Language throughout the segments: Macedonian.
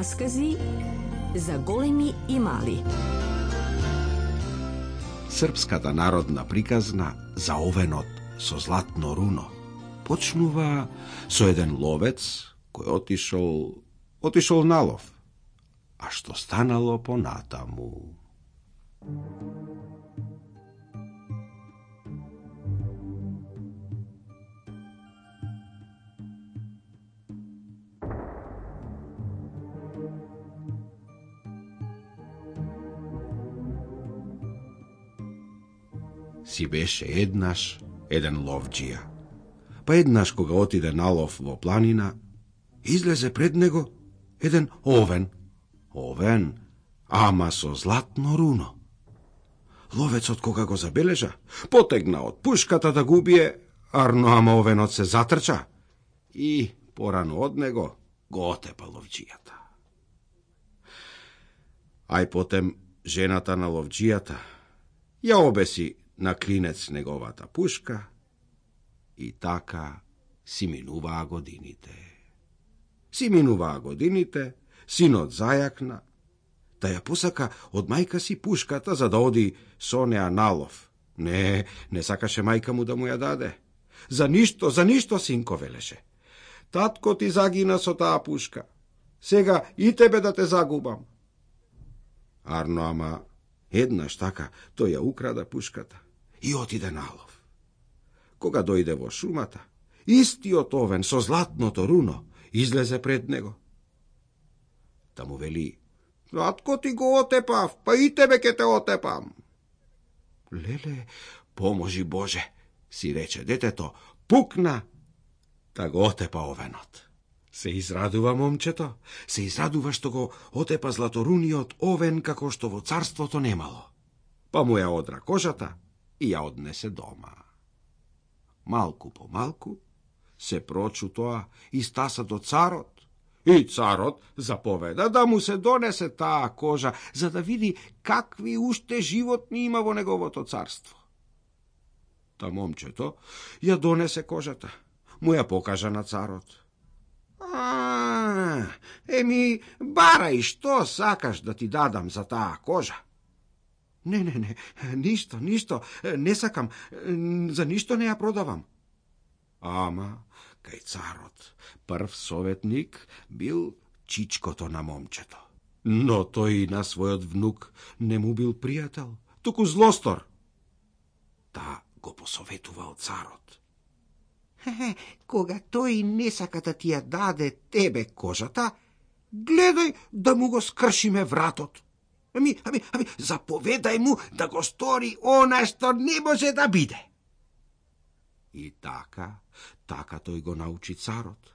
Раскази за големи и мали. Српската народна приказна за овенот со златно руно почнува со еден ловец кој отишол на лов. А што станало понатаму? Си беше еднаш еден ловџија. Па еднаш кога отиде на лов во планина, излезе пред него еден овен. Овен, ама со златно руно. Ловецот кога го забележа, потегна од пушката да го убие, ама овенот се затрча и порано од него го отепа ловџијата. Ај потем жената на ловџијата ја обеси на клинец неговата пушка и така си минуваа годините. Синот зајакна, да ја посака од мајка си пушката за да оди со неа на лов. Не сакаше мајка му да му ја даде. За ништо, синко, велеше. Татко ти загина со таа пушка. Сега и тебе да те загубам. Ама еднаш така тој ја украда пушката и отиде на лов. Кога дојде во шумата, истиот овен со златното руно излезе пред него. Та му вели: татко ти го отепав, па и тебе ке те отепам. Леле, поможи Боже, си рече детето, пукна, да го отепа овенот. Се израдува момчето, се израдува што го отепа златоруниот овен како што во царството немало. Па му ја одра кожата и ја однесе дома. Малку по малку се прочу тоа и стаса до царот. И царот заповеда да му се донесе таа кожа, за да види какви уште животни има во неговото царство. Та момчето ја донесе кожата, му ја покажа на царот. Барај, што сакаш да ти дадам за таа кожа? Не, ништо, не сакам, за ништо не ја продавам. Ама, кај царот, прв советник бил чичкото на момчето. Но тој на својот внук не му бил пријател, туку злостор. Та го посоветувал царот. Кога тој не сака да ти ја даде тебе кожата, гледај да му го скршиме вратот. Заповедај му да го стори она што не може да биде. И така тој го научи царот.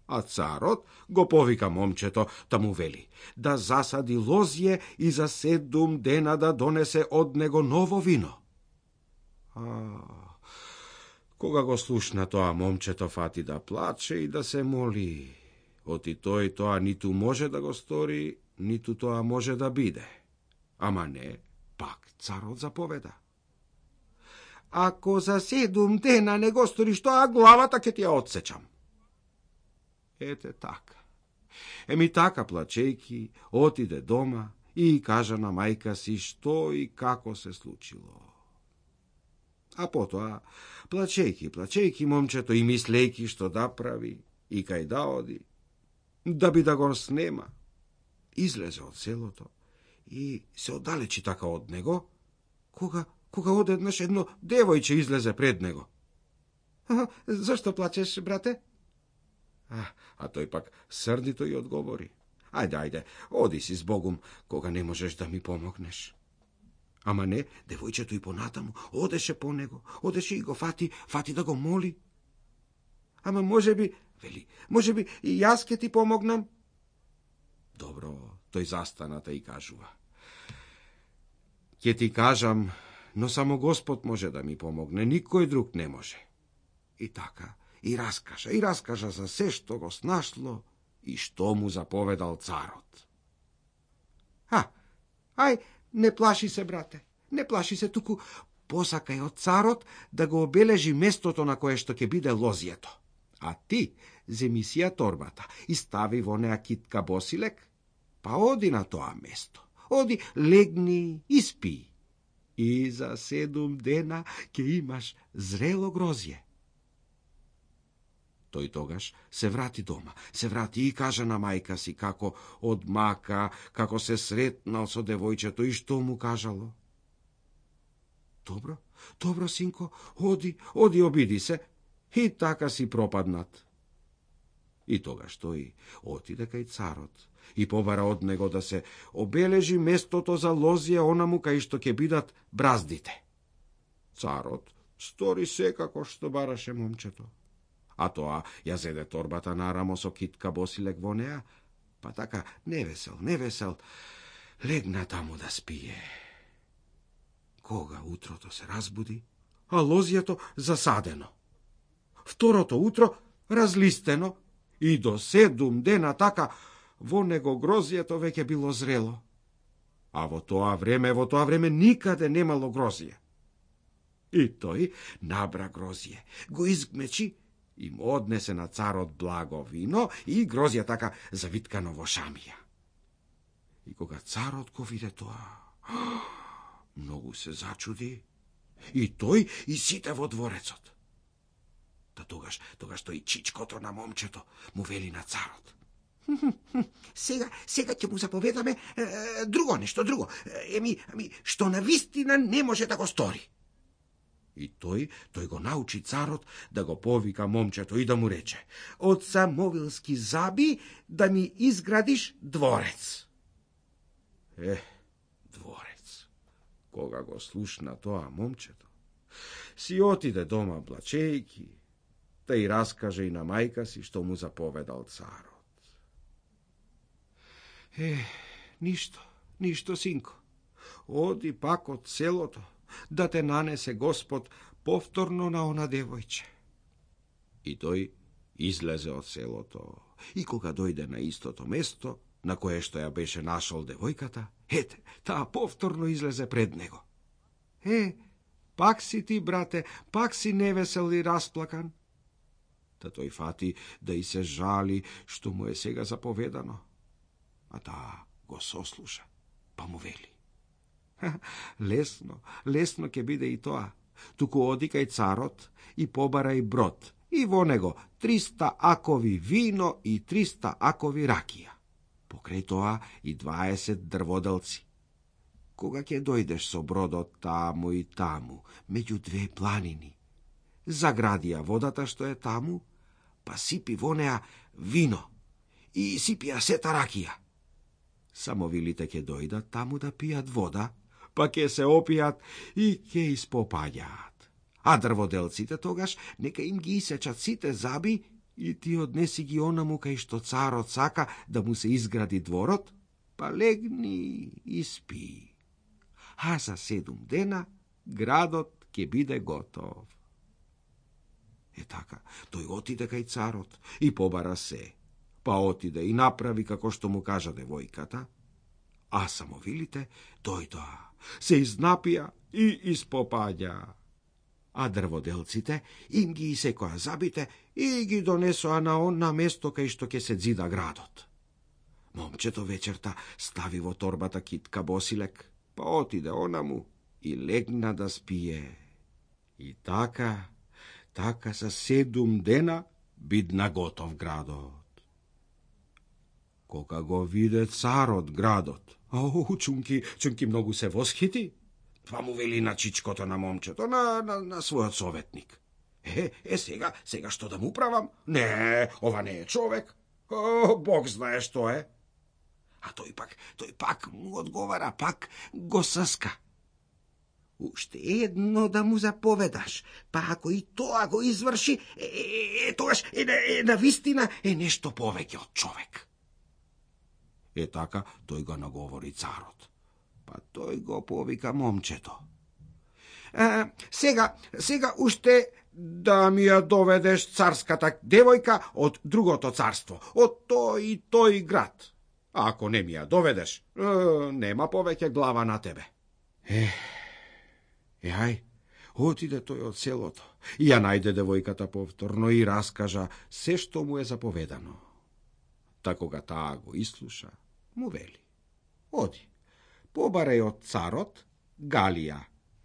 А царот го повика момчето, та му вели да засади лозје и за 7 дена да донесе од него ново вино. Кога го слушна тоа, момчето фати да плаче и да се моли. Оти тој тоа ниту може да го стори, ниту тоа може да биде. Ама не, пак царот заповеда. Ако за 7 дена не го сториш тоа, главата ќе ти ја отсечам. Ете така. Така плачејки, отиде дома и кажа на мајка си што и како се случило. А потоа, плачејки момчето и мислејки што да прави и кај да оди, да би да го снема, излезе од селото и се оддалечи така од него, кога одеднаш едно девојче излезе пред него. Зашто плачеш, брате? А тој пак срдито и одговори. Ајде, оди си с Богом, кога не можеш да ми помогнеш. Ама не, девојчето и понатаму одеше по него, одеше и го фати да го моли. Ама може би и јас ке ти помогнам. Добро, тој застаната и кажува. Ке ти кажам, но само Господ може да ми помогне, никој друг не може. И така, и раскажа за се што го снашло и што му заповедал царот. Ај, не плаши се, брате, не плаши се, туку посакај од царот да го обележи местото на кое што ќе биде лозјето. А ти земи си ја торбата и стави во неа китка босилек Па оди на тоа место. Оди, легни и спи. И за 7 дена ќе имаш зрело грозје. Тој тогаш се врати дома, се врати и кажа на мајка си како одмака, како се сретнал со девојчето и што му кажало. Добро, синко, оди, обиди се. И така си пропаднат. И тогаш тој отиде кај царот и побара од него да се обележи местото за лозија онаму кај што ќе бидат браздите. Царот стори секако што бараше момчето. А тоа ја зеде торбата нарамо со китка босилек во неа, па така невесел, легна таму да спие. Кога утрото се разбуди, а лозјето засадено. Второто утро разлистено и до 7 дена така во него грозјето веќе било зрело. А во тоа време никаде немало грозје. И тој набра грозје, го изгмечи и му однесе на царот благо вино и грозја така завиткано во шамија. И кога царот го виде тоа, многу се зачуди и тој и сите во дворецот. Та тогаш тој чичкото на момчето му вели на царот: Сега ќе му заповедаме друго нешто. Што на вистина не може да го стори. И тој го научи царот да го повика момчето и да му рече: од Самовилски заби да ми изградиш дворец. Дворец. Кога го слушна тоа момчето, си отиде дома плачејки, та и раскаже и на мајка си што му заповедал царот. Ништо, синко. Оди пак од селото, да те нанесе Господ повторно на она девојче. И тој излезе од селото, и кога дојде на истото место, на кое што ја беше нашол девојката, таа повторно излезе пред него. Пак си ти, брате, пак си невесел и расплакан. Та тој фати да и се жали што му е сега заповедано. А таа го сослуша, па му вели: Лесно ќе биде и тоа. Туку оди кај царот и побарај брод, и во него 300 акови вино и 300 акови ракија. Покрај тоа и 20 дрводелци. Кога ќе дојдеш со бродот таму и таму, меѓу 2 планини, загради ја водата што е таму, па сипи во неа вино и сипи ја сета ракија. Самовилите ќе дојдат таму да пијат вода, па ќе се опијат и ќе испопаѓаат. А дрводелците тогаш нека им ги исечат сите заби и ти однеси ги онаму кај што царот сака да му се изгради дворот, па легни и спи. А за 7 дена градот ќе биде готов. Така, тој отиде кај царот и побара се, па отиде и направи како што му кажа девојката, а самовилите дојдоа, се изнапија и испопаѓа. А дрводелците им ги исекоа забите и ги донесоа на место кај што ќе се зида градот. Момчето вечерта стави во торбата китка босилек, па отиде онаму и легна да спие. И така за 7 дена бидна готов градот. Кога го виде царот градот, чунки многу се восхити, па му вели на чичкото на момчето, на својот советник: сега што да му правам? Не, ова не е човек. Бог знае што е. А тој пак му одговара, пак го съска: Уште едно да му заповедаш, па ако и тоа го изврши, тогаш на вистина е нешто повеќе од човек. Така тој го наговори царот, па тој го повика момчето: Сега уште да ми ја доведеш царската девојка од другото царство, од тој и тој град. А ако не ми ја доведеш, нема повеќе глава на тебе. Отиде тој од селото и ја најде девојката повторно и раскажа се што му е заповедано. Та кога таа го ислуша, му вели: Оди, побарај од царот галија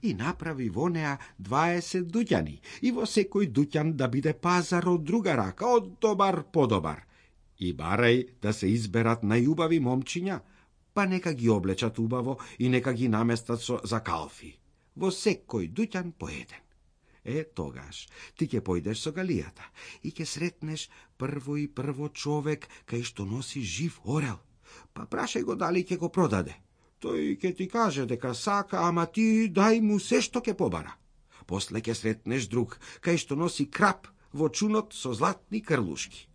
и направи во неа 20 дуќани и во секој дуќан да биде пазар од друга рака, од добар подобар. И барај да се изберат најубави момчиња, па нека ги облечат убаво и нека ги наместат за калфи. Во секој дуќан по еден. Тогаш ти ќе појдеш со галијата и ќе сретнеш прво човек кај што носи жив орел. Па прашај го дали ќе го продаде. Тој ќе ти каже дека сака, ама ти дај му се што ќе побара. После ќе сретнеш друг кај што носи крап во чунот со златни крлушки.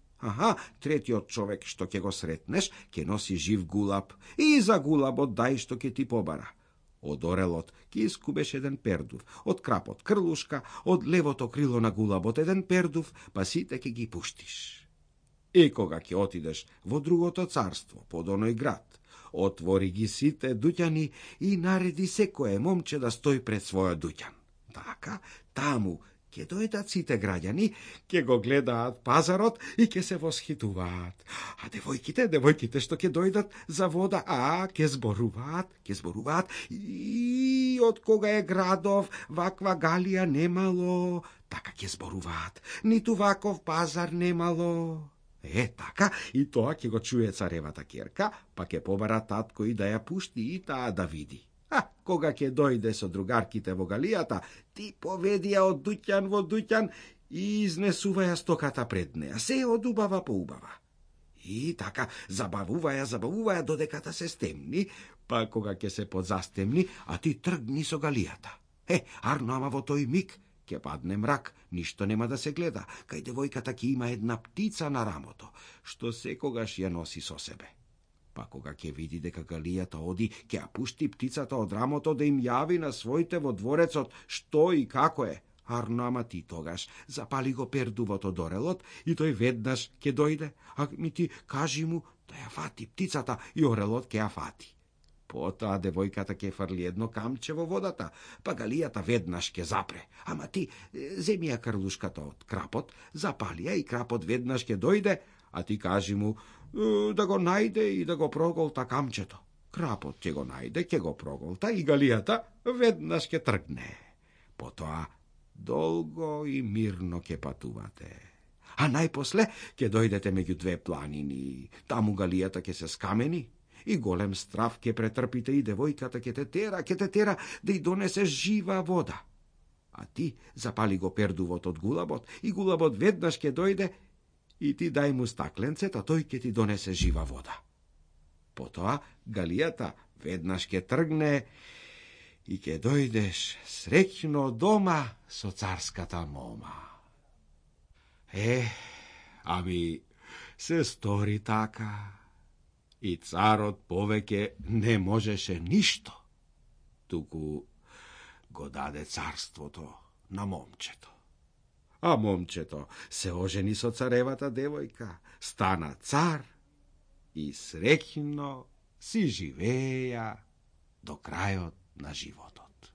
Третиот човек што ќе го сретнеш ќе носи жив гулаб и за гулабот дај што ќе ти побара. Од орелот ќе искубеш еден пердув, од крапот крлушка, од левото крило на гулабот еден пердув, па сите ќе ги пуштиш. И кога ќе отидеш во другото царство, под оној град, отвори ги сите дуќани и нареди секое момче да стои пред својот дуќан. Така, таму ќе дојдат сите граѓани, ќе го гледаат пазарот и ќе се восхитуваат. А девојките што ќе дојдат за вода, ќе зборуваат. И од кога е градов, ваква галија немало, така ќе зборуваат. Ниту ваков пазар немало. Така, и тоа ќе го чуе царевата ќерка, па ќе побара татко и да ја пушти и таа да види. Кога ќе дојде со другарките во галијата, ти поведи ја од дуќан во дуќан и изнесува ја стоката пред неа, се од убава по убава. И така, забавува ја додека се стемни, па кога ќе се подзастемни, а ти тргни со галијата. Арно, ама во тој миг ќе падне мрак, ништо нема да се гледа, кај девојката ќе има една птица на рамото, што секогаш ја носи со себе. Па кога ќе види дека галијата оди, ќе ја пушти птицата од рамото да им јави на своите во дворецот што и како е. Арно, ама ти тогаш запали го пердувот од орелот и тој веднаш ќе дојде, ми ти кажи му да ја фати птицата и орелот ќе ја фати. Потоа девојката ќе фрли едно камче во водата, па галијата веднаш ќе запре. Ама ти земи ја крлушката од крапот, запали ја и крапот веднаш ќе дојде, а ти кажи му да го најде и да го проголта камчето. Крапот ќе го најде, ќе го проголта и галијата веднаш ќе тргне. Потоа долго и мирно ќе патувате. А најпосле ќе дојдете меѓу две планини, таму галијата ќе се скамени и голем страв ќе претрпите и девојката ќе те тера да й донесе жива вода. А ти запали го пердувот од гулабот и гулабот веднаш ќе дојде и ти дај му стакленцет, а тој ќе ти донесе жива вода. Потоа галијата веднаш ќе тргне и ќе дојдеш среќно дома со царската мома. Ами се стори така и царот повеќе не можеше ништо, туку го даде царството на момчето. А момчето се ожени со царевата девојка, стана цар и среќно си живеја до крајот на животот.